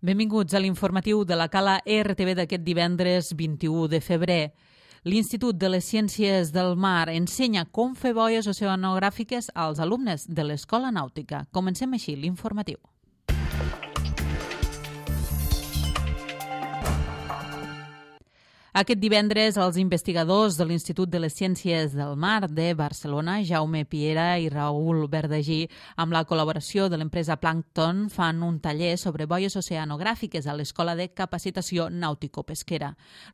Benvinguts a l'informatiu de la Cala RTV d'aquest divendres 21 de febrer. L'Institut de les Ciències del Mar ensenya com fer boies oceanogràfiques als alumnes de l'Escola Nàutica. Comencem així l'informatiu. Aquest divendres, els investigadors de l'Institut de les Ciències del Mar de Barcelona, Jaume Piera i Raül Verdagí, amb la col·laboració de l'empresa Plankton, fan un taller sobre boies oceanogràfiques a l'Escola de Capacitació Nàutico-Pesquera.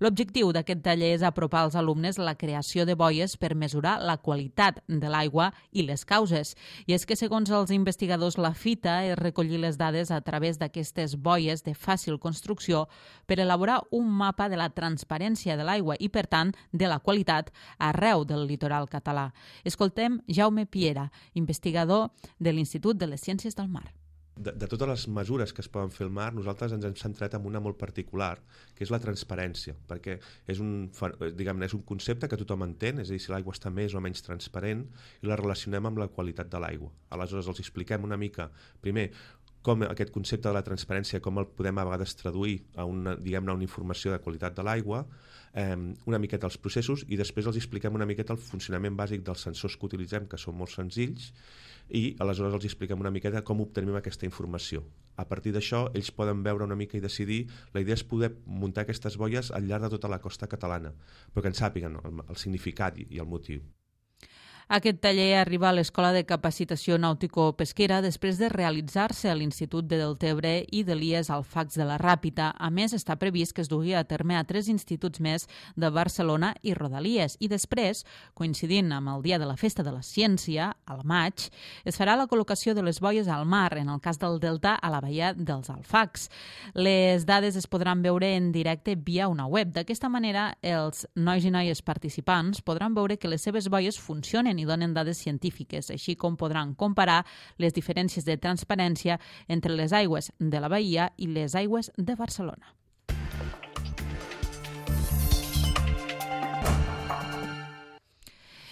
L'objectiu d'aquest taller és apropar als alumnes la creació de boies per mesurar la qualitat de l'aigua i les causes. I és que, segons els investigadors, la fita és recollir les dades a través d'aquestes boies de fàcil construcció per elaborar un mapa de la transparència de l'aigua i, per tant, de la qualitat arreu del litoral català. Escoltem Jaume Piera, investigador de l'Institut de les Ciències del Mar. De totes les mesures que es poden fer al mar, nosaltres ens hem centrat en una molt particular, que és la transparència, perquè és un concepte que tothom entén, és a dir, si l'aigua està més o menys transparent, i la relacionem amb la qualitat de l'aigua. Aleshores, els expliquem una mica, primer, com aquest concepte de la transparència, com el podem a vegades traduir a una informació de qualitat de l'aigua, una miqueta els processos, i després els expliquem una miqueta el funcionament bàsic dels sensors que utilitzem, que són molt senzills, i aleshores els expliquem una miqueta com obtenim aquesta informació. A partir d'això, ells poden veure una mica i decidir. La idea és poder muntar aquestes boies al llarg de tota la costa catalana, però que en sàpiguen el significat i el motiu. Aquest taller arriba a l'Escola de Capacitació Nàutico-Pesquera després de realitzar-se a l'Institut de Deltebre i de l'IES Alfacs de la Ràpita. A més, està previst que es dugui a terme a 3 instituts més de Barcelona i Rodalies. I després, coincidint amb el Dia de la Festa de la Ciència, al maig, es farà la col·locació de les boies al mar, en el cas del Delta, a la baia dels Alfacs. Les dades es podran veure en directe via una web. D'aquesta manera, els nois i noies participants podran veure que les seves boies funcionen i donen dades científiques, així com podran comparar les diferències de transparència entre les aigües de la Bahia i les aigües de Barcelona.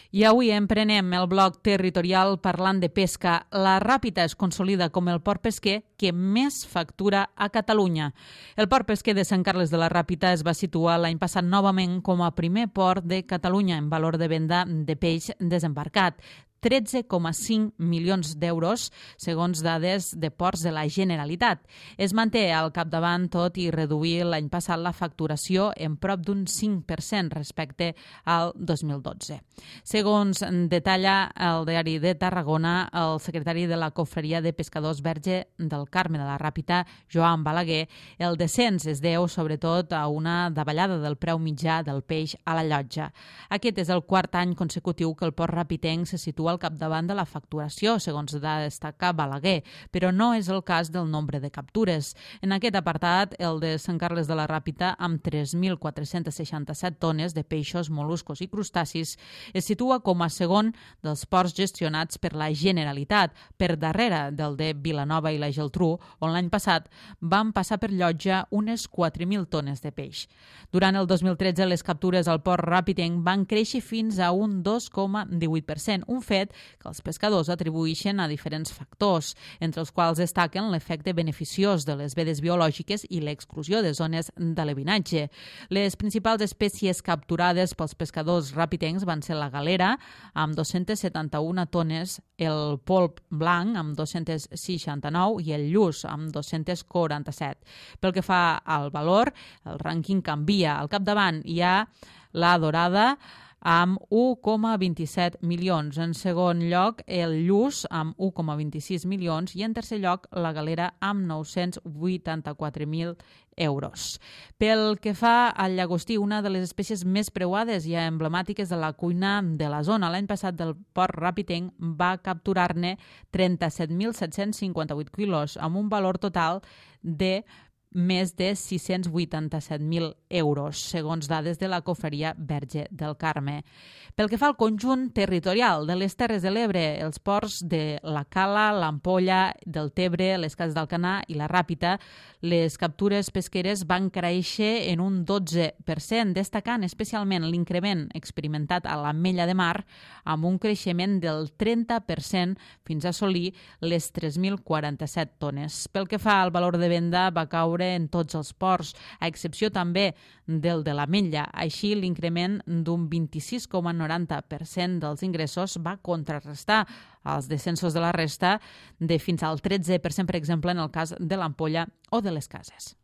I avui emprenem el bloc territorial parlant de pesca. La Ràpita es consolida com el port pesquer que més factura a Catalunya. El port pesquer de Sant Carles de la Ràpita es va situar l'any passat novament com a primer port de Catalunya en valor de venda de peix desembarcat. 13,5 milions d'euros, segons dades de ports de la Generalitat. Es manté al capdavant, tot i reduir l'any passat la facturació en prop d'un 5% respecte al 2012. Segons detalla el Diari de Tarragona, el secretari de la Confraria de Pescadors Verge del Carme de la Ràpita, Joan Balaguer, el descens es deu sobretot a una davallada del preu mitjà del peix a la llotja. Aquest és el quart any consecutiu que el port ràpitenc se situa al capdavant de la facturació, segons va destacar Balaguer, però no és el cas del nombre de captures. En aquest apartat, el de Sant Carles de la Ràpita, amb 3.467 tones de peixos, mol·luscos i crustacis, es situa com a segon dels ports gestionats per la Generalitat, per darrere del de Vilanova i la Geltrú, on l'any passat van passar per llotja unes 4.000 tones de peix. Durant el 2013, les captures al port ràpitenc van créixer fins a un 2,18%, un fet que els pescadors atribueixen a diferents factors, entre els quals destaquen l'efecte beneficiós de les vedes biològiques i l'exclusió de zones d'alevinatge. Les principals espècies capturades pels pescadors ràpitencs van ser la galera, amb 271 tones, el polp blanc, amb 269, i el lluç, amb 247. Pel que fa al valor, el rànquing canvia. Al capdavant hi ha la dorada, amb 1,27 milions. En segon lloc, el lluç, amb 1,26 milions, i en tercer lloc, la galera, amb 984.000 euros. Pel que fa al llagostí, una de les espècies més preuades i emblemàtiques de la cuina de la zona, l'any passat del port ràpitenc va capturar-ne 37.758 quilos, amb un valor total de més de 687.000 euros, segons dades de la Confraria Verge del Carme. Pel que fa al conjunt territorial de les Terres de l'Ebre, els ports de la Cala, l'Ampolla, del Tebre, les Cases d'Alcanar i la Ràpita, les captures pesqueres van créixer en un 12%, destacant especialment l'increment experimentat a l'Ametlla de Mar, amb un creixement del 30% fins a assolir les 3.047 tones. Pel que fa al valor de venda, va caure veure en tots els ports, a excepció també del de l'Ametlla. Així, l'increment d'un 26,90% dels ingressos va contrarrestar els descensos de la resta de fins al 13%, per exemple, en el cas de l'Ampolla o de les Cases.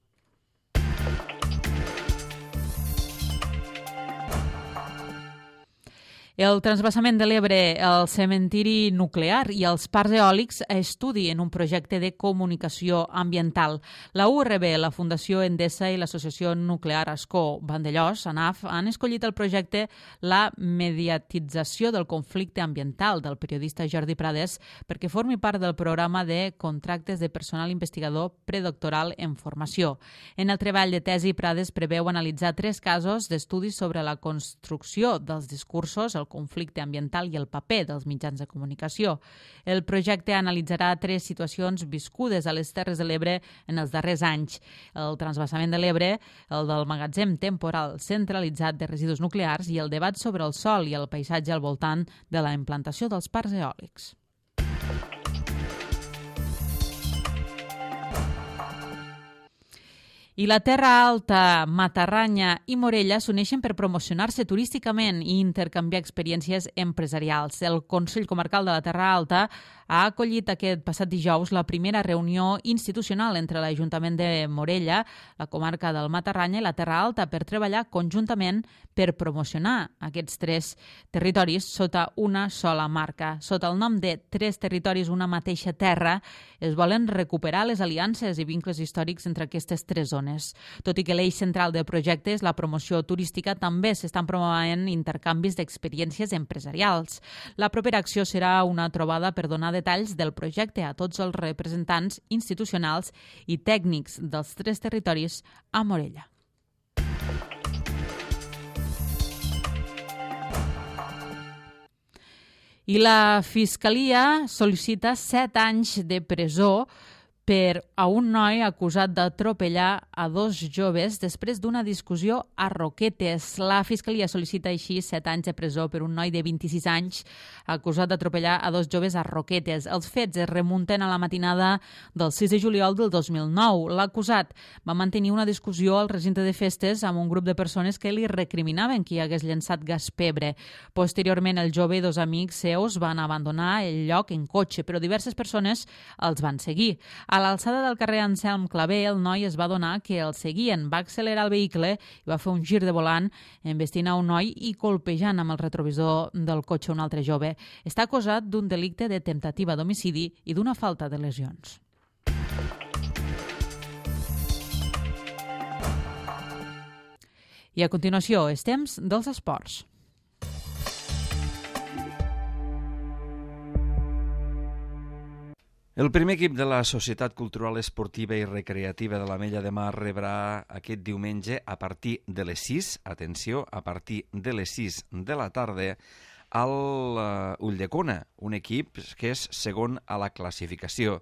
El transvasament de l'Ebre, el cementiri nuclear i els parcs eòlics estudien un projecte de comunicació ambiental. La URB, la Fundació Endesa i l'Associació Nuclear Ascó Vandellòs, ANAF, han escollit el projecte La mediatització del conflicte ambiental del periodista Jordi Prades perquè formi part del programa de contractes de personal investigador predoctoral en formació. En el treball de tesi, Prades preveu analitzar 3 casos d'estudis sobre la construcció dels discursos, el conflicte ambiental i el paper dels mitjans de comunicació. El projecte analitzarà 3 situacions viscudes a les Terres de l'Ebre en els darrers anys. El transvasament de l'Ebre, el del magatzem temporal centralitzat de residus nuclears i el debat sobre el sòl i el paisatge al voltant de la implantació dels parcs eòlics. I la Terra Alta, Matarranya i Morella s'uneixen per promocionar-se turísticament i intercanviar experiències empresarials. El Consell Comarcal de la Terra Alta ha acollit aquest passat dijous la primera reunió institucional entre l'Ajuntament de Morella, la comarca del Matarranya i la Terra Alta per treballar conjuntament per promocionar aquests 3 territoris sota una sola marca. Sota el nom de 3 territoris, una mateixa terra, es volen recuperar les aliances i vincles històrics entre aquestes 3 zones. Tot i que l'eix central del projecte és la promoció turística, també s'estan promovent intercanvis d'experiències empresarials. La propera acció serà una trobada per donar detalls del projecte a tots els representants institucionals i tècnics dels 3 territoris a Morella. I la Fiscalia sol·licita 7 anys de presó per a un noi acusat d'atropellar a 2 joves després d'una discussió a Roquetes. La Fiscalia sol·licita així 7 anys de presó per un noi de 26 anys acusat d'atropellar a 2 joves a Roquetes. Els fets es remunten a la matinada del 6 de juliol del 2009. L'acusat va mantenir una discussió al recinte de festes amb un grup de persones que li recriminaven que hi hagués llançat gas pebre. Posteriorment, el jove i 2 amics seus van abandonar el lloc en cotxe, però diverses persones els van seguir. A l'alçada del carrer Anselm Clavé, el noi es va adonar que el seguien, va accelerar el vehicle i va fer un gir de volant, embestint a un noi i colpejant amb el retrovisor del cotxe un altre jove. Està acusat d'un delicte de temptativa d'homicidi i d'una falta de lesions. I a continuació, és temps dels esports. El primer equip de la Societat Cultural Esportiva i Recreativa de l'Ametlla de Mar rebrà aquest diumenge a partir de les 6, atenció, a partir de les 6 de la tarda, al Ulldecona, un equip que és segon a la classificació.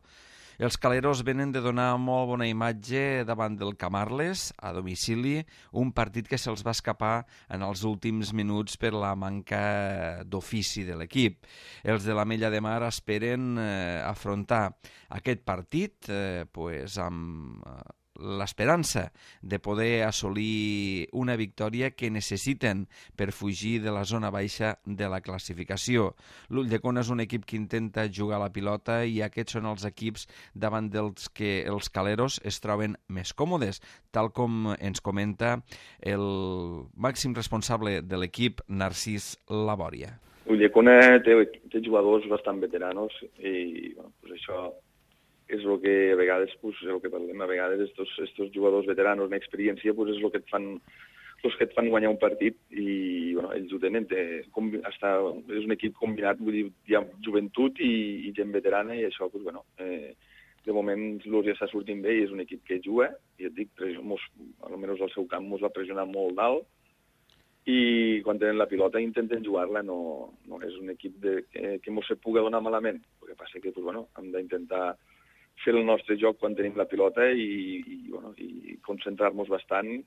Els caleros venen de donar molt bona imatge davant del Camarles, a domicili, un partit que se'ls va escapar en els últims minuts per la manca d'ofici de l'equip. Els de l'Ametlla de Mar esperen afrontar aquest partit amb l'esperança de poder assolir una victòria que necessiten per fugir de la zona baixa de la classificació. L'Ulldecona és un equip que intenta jugar a la pilota i aquests són els equips davant dels que els caleros es troben més còmodes, tal com ens comenta el màxim responsable de l'equip, Narcís Labòria. L'Ulldecona té jugadors bastant veteranos i això és el que a vegades, el que parlem a vegades, estos jugadors veteranos en experiència, és el que et fan guanyar un partit i ells ho tenen. És un equip combinat, vull dir, hi ha joventut i gent veterana i això, de moment ja està sortint bé i és un equip que juga i et dic, almenys al seu camp mos va pressionar molt dalt i quan tenen la pilota intenten jugar-la, no és un equip que mos se pugui donar malament. El que passa que hem d'intentar fer el nostre joc quan tenim la pilota i concentrar-nos bastant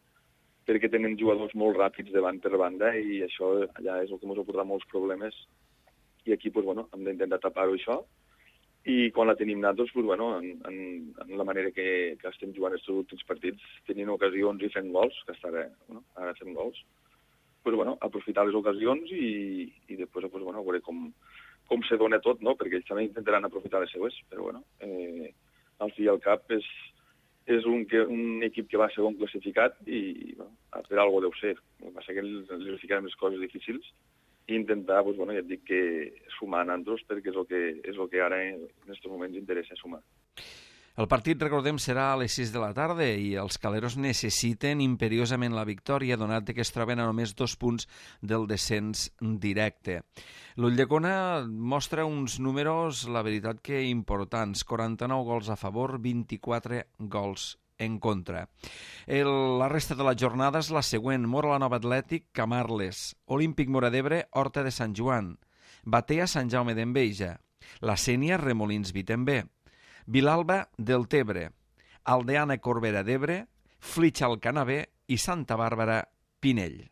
perquè tenen jugadors molt ràpids de banda per banda i això allà és el que ens ha portat molts problemes i aquí hem d'intentar tapar-ho això i quan la tenim nosaltres, pues, bueno, en la manera que estem jugant aquests últims partits, tenint ocasions i fent gols, que està bé, bueno, ara fem gols, pues, bueno, aprofitar les ocasions i després pues, bueno, veure com se dona tot, no? Perquè ells també intentaran aprofitar les seues, però bueno, al fi i al cap és un equip que va segon classificat i bueno, per algo deu ser. El que passa que li ficarem les coses difícils i intentar, pues, bueno, ja et dic que sumar a nosaltres perquè és el que ara en aquests moments interessa sumar. El partit, recordem, serà a les 6 de la tarda i els caleros necessiten imperiosament la victòria, donat que es troben a només 2 punts del descens directe. L'Ulldecona mostra uns números, la veritat que importants, 49 gols a favor, 24 gols en contra. La resta de la jornada és la següent: Móra la Nova Atlètic, Camarles, Olímpic Móra d'Ebre, Horta de Sant Joan, Batea, Sant Jaume d'Enveja, la Sénia, Remolins Vitembé, Vilalba del Tebre, Aldeana Corbera d'Ebre, Flitxa al Canavè i Santa Bàrbara Pinell.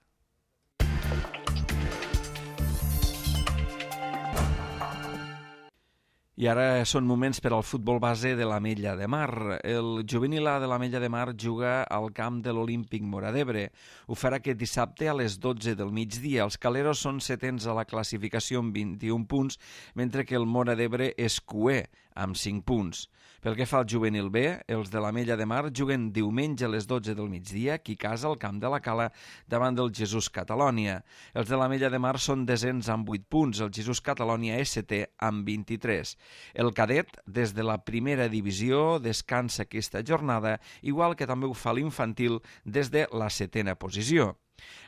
I ara són moments per al futbol base de l'Ametlla de Mar. El juvenil A de l'Ametlla de Mar juga al camp de l'Olímpic Móra d'Ebre. Ho farà aquest dissabte a les 12 del migdia. Els caleros són setens a la classificació amb 21 punts, mentre que el Móra d'Ebre és cuer amb 5 punts. Pel que fa al juvenil B, els de l'Ametlla de Mar juguen diumenge a les 12 del migdia, aquí a casa al camp de la Cala, davant del Jesús Catalònia. Els de l'Ametlla de Mar són desens amb 8 punts, el Jesús Catalònia és setè amb 23. El cadet, des de la primera divisió, descansa aquesta jornada, igual que també ho fa l'infantil des de la setena posició.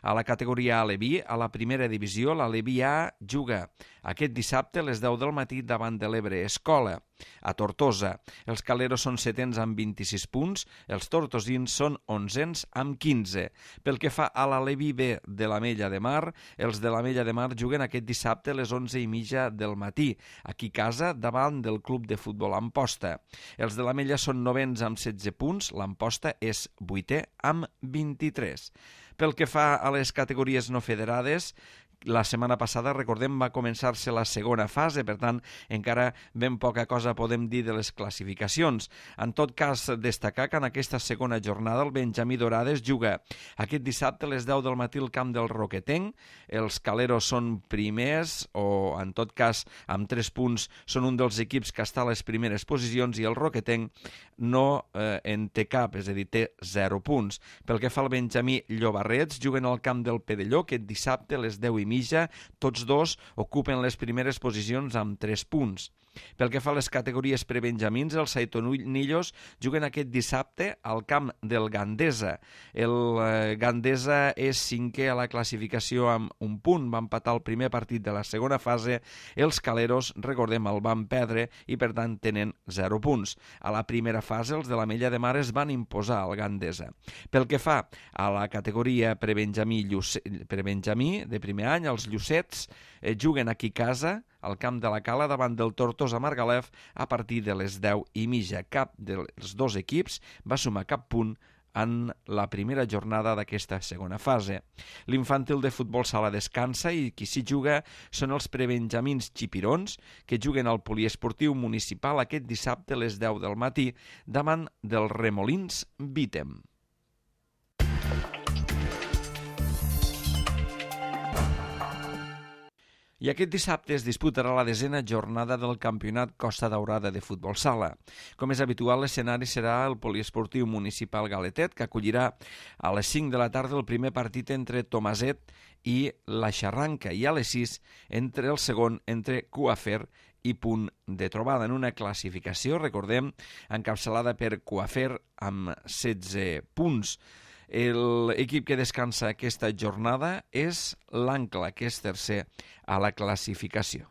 A la categoria Aleví, a la primera divisió, l'Aleví A juga aquest dissabte a les 10 del matí davant de l'Ebre Escola. A Tortosa, els caleros són setens amb 26 punts, els tortosins són onzens amb 15. Pel que fa a l'Aleví B de l'Ametlla de Mar, els de l'Ametlla de Mar juguen aquest dissabte a les 11:30 del matí, aquí a casa davant del Club de Futbol Amposta. Els de l'Ametlla són novens amb 16 punts, l'Amposta és vuitè amb 23. Pel que fa a les categories no federades, la setmana passada, recordem, va començar-se la segona fase, per tant, encara ben poca cosa podem dir de les classificacions. En tot cas, destacar que en aquesta segona jornada el Benjamí Dorades juga aquest dissabte a les 10 del matí al camp del Roquetenc. Els caleros són primers, o en tot cas, amb 3 punts, són un dels equips que està a les primeres posicions, i el Roquetenc no en té cap, és a dir, té 0 punts. Pel que fa al Benjamí Llobarrets, juguen al camp del Pedelló aquest dissabte a les 10:30. Tots dos ocupen les primeres posicions amb 3 punts. Pel que fa a les categories prebenjamins, els Saitonillos juguen aquest dissabte al camp del Gandesa. El Gandesa és cinquè a la classificació amb 1 punt, va empatar el primer partit de la segona fase. Els caleros, recordem, el van perdre i per tant tenen 0 punts. A la primera fase els de l'Ametlla de Mar es van imposar al Gandesa. Pel que fa a la categoria prebenjamí de primer any, els Llucets juguen aquí a casa al camp de la Cala davant del Tortosa Margalef a partir de les 10:30. Cap dels dos equips va sumar cap punt en la primera jornada d'aquesta segona fase. L'infantil de futbol sala descansa i qui s'hi juga són els prebenjamins xipirons, que juguen al poliesportiu municipal aquest dissabte a les 10 del matí davant dels Remolins Vitem. I aquest dissabte es disputarà la 10ª jornada del Campionat Costa Daurada de Futbol Sala. Com és habitual, l'escenari serà el poliesportiu municipal Galetet, que acollirà a les 5 de la tarda el primer partit entre Tomaset i la Xarranca, i a les 6 entre el segon entre Cuafer i Punt de Trobada, en una classificació, recordem, encapçalada per Cuafer amb 16 punts. L'equip que descansa aquesta jornada és l'Ancla, que és tercer a la classificació.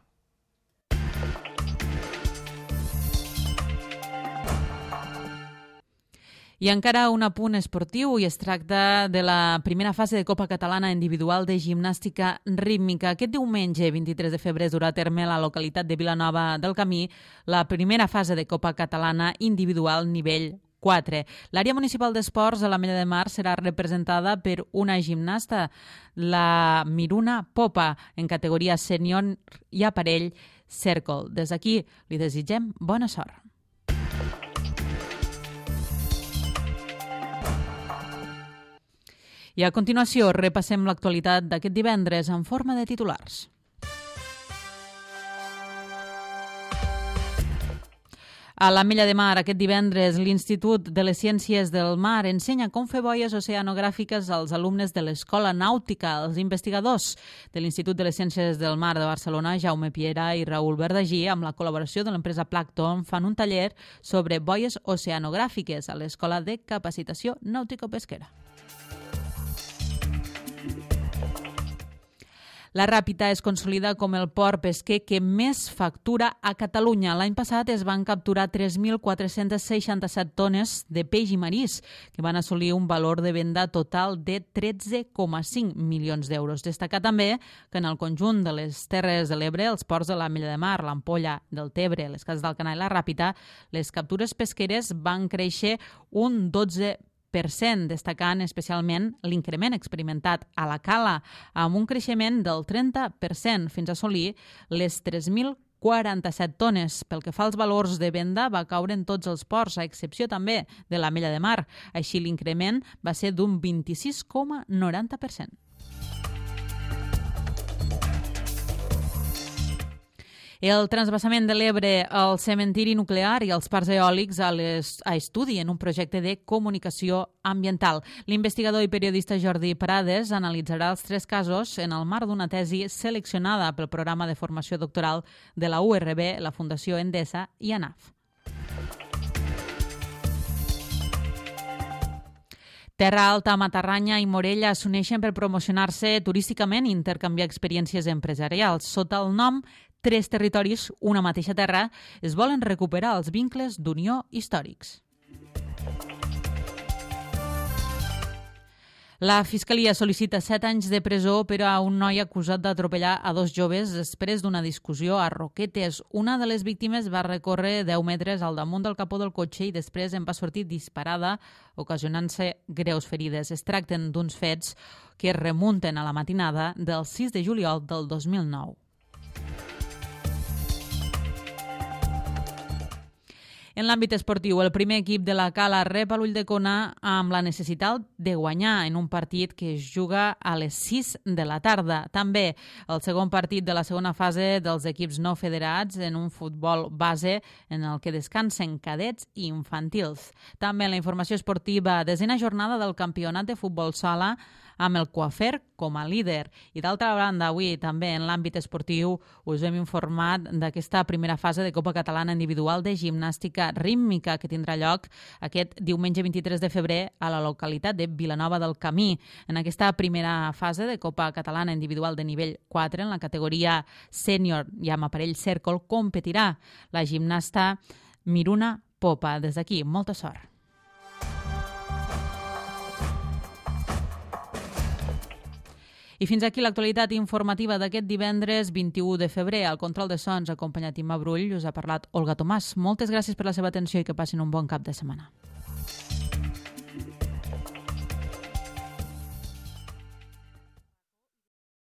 I encara un apunt esportiu, i es tracta de la primera fase de Copa Catalana Individual de Gimnàstica Rítmica. Aquest diumenge, 23 de febrer, es durà a terme a la localitat de Vilanova del Camí la primera fase de Copa Catalana Individual nivell 4. L'àrea municipal d'esports a l'Ametlla de Mar serà representada per una gimnasta, la Miruna Popa, en categoria sènior i aparell Circle. Des d'aquí li desitgem bona sort. I a continuació repassem l'actualitat d'aquest divendres en forma de titulars. A l'Ametlla de Mar, aquest divendres, l'Institut de les Ciències del Mar ensenya com fer boies oceanogràfiques als alumnes de l'Escola Nàutica. Els investigadors de l'Institut de les Ciències del Mar de Barcelona, Jaume Piera i Raül Verdagí, amb la col·laboració de l'empresa Plankton, fan un taller sobre boies oceanogràfiques a l'Escola de Capacitació Nàutico-Pesquera. La Ràpita es consolida com el port pesquer que més factura a Catalunya. L'any passat es van capturar 3.467 tones de peix i marís, que van assolir un valor de venda total de 13,5 milions d'euros. Destacar també que en el conjunt de les Terres de l'Ebre, els ports de l'Ametlla de Mar, l'Ampolla del Tebre, les Cases d'Alcanar i la Ràpita, les captures pesqueres van créixer un 12%, destacant especialment l'increment experimentat a la Cala, amb un creixement del 30% fins a assolir les 3.047 tones. Pel que fa als valors de venda, va caure en tots els ports, a excepció també de l'Ametlla de Mar. Així, l'increment va ser d'un 26,90%. El transvasament de l'Ebre, el cementiri nuclear i els parcs eòlics a estudi en un projecte de comunicació ambiental. L'investigador i periodista Jordi Prades analitzarà els 3 casos en el marc d'una tesi seleccionada pel programa de formació doctoral de la URB, la Fundació Endesa i ANAF. Terra Alta, Matarranya i Morella s'uneixen per promocionar-se turísticament i intercanviar experiències empresarials. Sota el nom 3 territoris, una mateixa terra, es volen recuperar els vincles d'unió històrics. La Fiscalia sol·licita 7 anys de presó per a un noi acusat d'atropellar a 2 joves després d'una discussió a Roquetes. Una de les víctimes va recórrer 10 metres al damunt del capó del cotxe i després en va sortir disparada, ocasionant-se greus ferides. Es tracten d'uns fets que es remunten a la matinada del 6 de juliol del 2009. En l'àmbit esportiu, el primer equip de la Cala rep a l'Ulldecona amb la necessitat de guanyar en un partit que es juga a les 6 de la tarda. També el segon partit de la segona fase dels equips no federats en un futbol base en el que descansen cadets i infantils. També en la informació esportiva, 10ª jornada del campionat de futbol sala amb el Coafer com a líder. I d'altra banda, avui també en l'àmbit esportiu us hem informat d'aquesta primera fase de Copa Catalana Individual de Gimnàstica Rítmica que tindrà lloc aquest diumenge 23 de febrer a la localitat de Vilanova del Camí. En aquesta primera fase de Copa Catalana Individual de nivell 4, en la categoria sènior i amb aparell Circle, competirà la gimnasta Miruna Popa. Des d'aquí, molta sort. I fins aquí l'actualitat informativa d'aquest divendres 21 de febrer. Al control de sons, acompanyat Imma Brull, us ha parlat Olga Tomàs. Moltes gràcies per la seva atenció i que passin un bon cap de setmana.